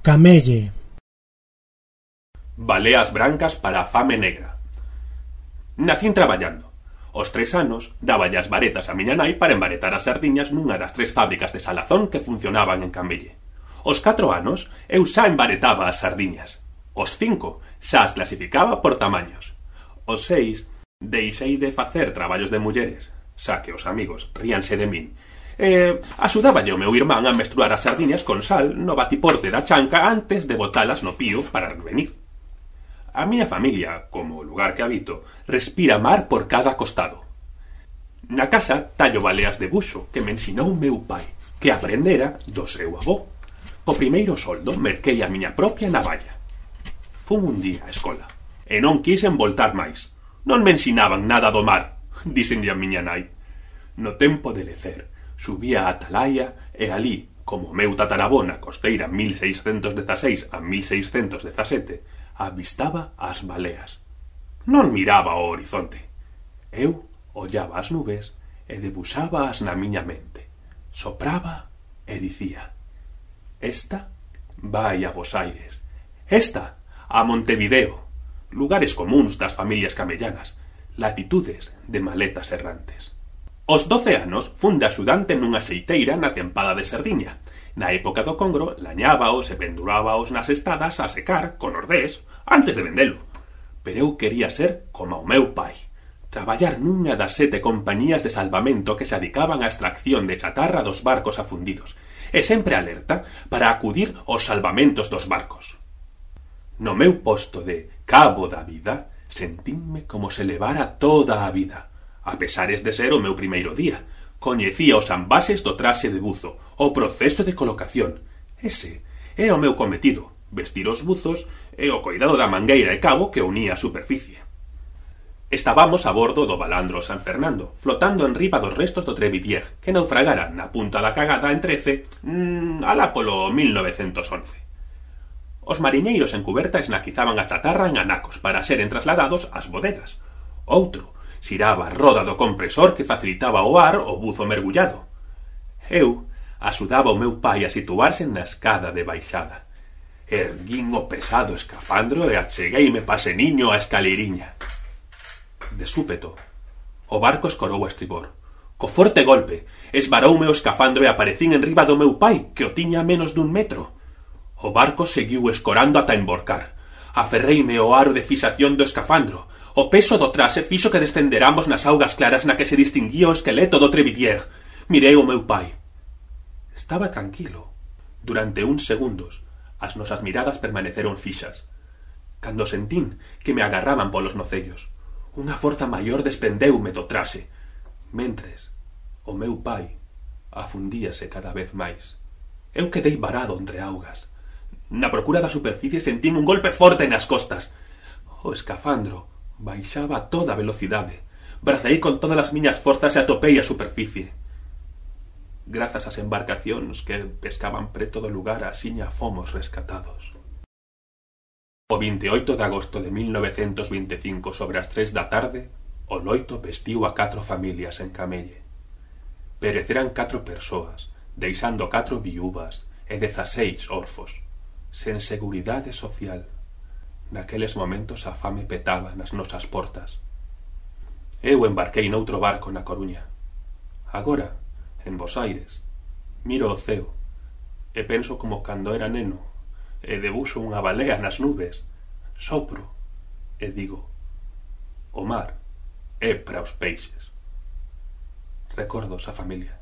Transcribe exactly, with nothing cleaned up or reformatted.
Camelle. Baleas brancas para a fame negra. Nacín traballando. Os tres anos dáballe as varetas a miña nai para embaretar as sardiñas nunha das tres fábricas de salazón que funcionaban en Camelle. Os catro anos eu xa embaretaba as sardiñas. Os cinco xa as clasificaba por tamaños. Os seis deixei de facer traballos de mulleres, xa que os amigos ríanse de min. E axudáballe o meu irmán a mesturar as sardiñas con sal no batiporte da chanca antes de botalas no pío para revenir. A miña familia, como o lugar que habito, respira mar por cada costado. Na casa tallo baleas de buxo que me ensinou meu pai, que aprendera do seu avó. Po primeiro soldo merquei a miña propia navalla. Fun un día á escola, e non quixen voltar máis. Non me ensinaban nada do mar, díxenlle a miña nai. No tempo de lecer, subía a Atalaya e alí, como meu tatarabó na costeira mil seiscentos dezaseis a mil seiscentos dezasete, avistaba as baleas. Non miraba ao horizonte. Eu ollaba as nubes e debuxábaas na miña mente. Sopraba e dicía: esta vai a Bos Aires, esta a Montevideo, lugares comuns das familias camellanas, latitudes de maletas errantes. Os doce anos fun de axudante nunha xeiteira na tempada de sardiña. Na época do congro, lañábaos e pendurábaos nas estadas a secar con ordés antes de vendelo. Pero eu quería ser como o meu pai, traballar nunha das sete compañías de salvamento que se dedicaban á extracción de chatarra dos barcos afundidos, e sempre alerta para acudir aos salvamentos dos barcos. No meu posto de cabo da vida, sentínme como se levara toda a vida, a pesares de ser o meu primeiro día. Coñecía os ambases do traxe de buzo, o proceso de colocación. Ese era o meu cometido, vestir os buzos e o coidado da mangueira e cabo que unía a superficie. Estábamos a bordo do balandro San Fernando, flotando en riba dos restos do Trevidier, que naufragara na punta da cagada en Trece, mmm, alá polo mil novecentos once. Os mariñeiros en cuberta esnaquizaban a chatarra en anacos para seren trasladados ás bodegas. Outro xiraba a roda do compresor que facilitaba o ar ao buzo mergullado. Eu axudaba o meu pai a situarse na escada de baixada. Erguín o pesado escafandro e achegueime paseniño á escaleiriña. De súpeto, o barco escorou a estribor. Co forte golpe, esvaroume o escafandro e aparecín en riba do meu pai, que o tiña a menos dun metro. O barco seguiu escorando ata emborcar. Aferreime ao aro de fixación do escafandro. O peso do traxe fixo que descenderamos nas augas claras na que se distinguía o esqueleto do Trevidier. Mirei o meu pai. Estaba tranquilo. Durante uns segundos, as nosas miradas permaneceron fixas. Cando sentín que me agarraban polos nocellos, unha forza maior desprendeume do traxe. Mentres, o meu pai afundíase cada vez máis. Eu quedei varado entre augas. Na procura da superficie sentín un golpe forte nas costas. O escafandro baixaba a toda velocidade. Bracei con todas as miñas forzas e atopei a superficie. Grazas ás embarcacións que pescaban preto do lugar, axiña fomos rescatados. O vinte e oito de agosto de mil novecentos vinte e cinco, sobre as tres da tarde, o loito vestiu a catro familias en Camelle. Pereceran catro persoas, deixando catro viúvas e dezaseis orfos, sen seguridade social. Naqueles momentos a fame petaba nas nosas portas. Eu embarquei noutro barco na Coruña. Agora, en Bos Aires, miro o ceo e penso como cando era neno e debuxo unha balea nas nubes. Sopro e digo: o mar é para os peixes. Recordos a familia.